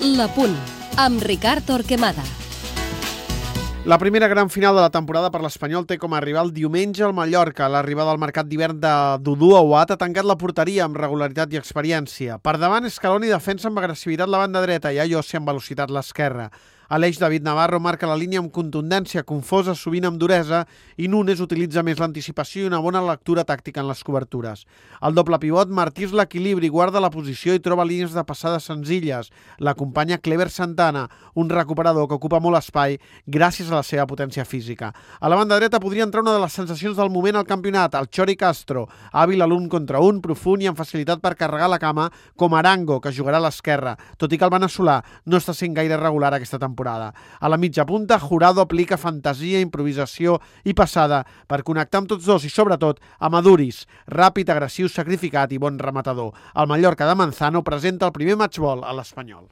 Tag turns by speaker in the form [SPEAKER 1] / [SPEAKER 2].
[SPEAKER 1] La Punt, amb Ricard Torquemada.
[SPEAKER 2] La primera gran final de la temporada per l'Espanyol té com a rival diumenge el Mallorca. L'arribada al mercat d'hivern de Dudu Aouat ha tancat la porteria amb regularitat i experiència. Per davant, Scaloni defensa amb agressivitat la banda dreta i Ayose amb velocitat l'esquerra. A l'eix, David Navarro marca la línia amb contundència, confosa sovint amb duresa, i Núñez utilitza més l'anticipació i una bona lectura tàctica en les cobertures. El doble pivot martís l'equilibri, guarda la posició i troba línies de passada senzilles. L'acompanya Clever Santana, un recuperador que ocupa molt espai gràcies a la seva potència física. A la banda dreta podria entrar una de les sensacions del moment al campionat, el Chori Castro, hàbil a l'un contra un, profund i amb facilitat per carregar la cama, com Arango, que jugarà a l'esquerra, tot i que el veneçolà no està sent gaire regular aquesta temporada. A la mitja punta, Jurado aplica fantasia, improvisació i passada per connectar amb tots dos i, sobretot, amb Aduriz, ràpid, agressiu, sacrificat i bon rematador. El Mallorca de Manzano presenta el primer matchball a l'Espanyol.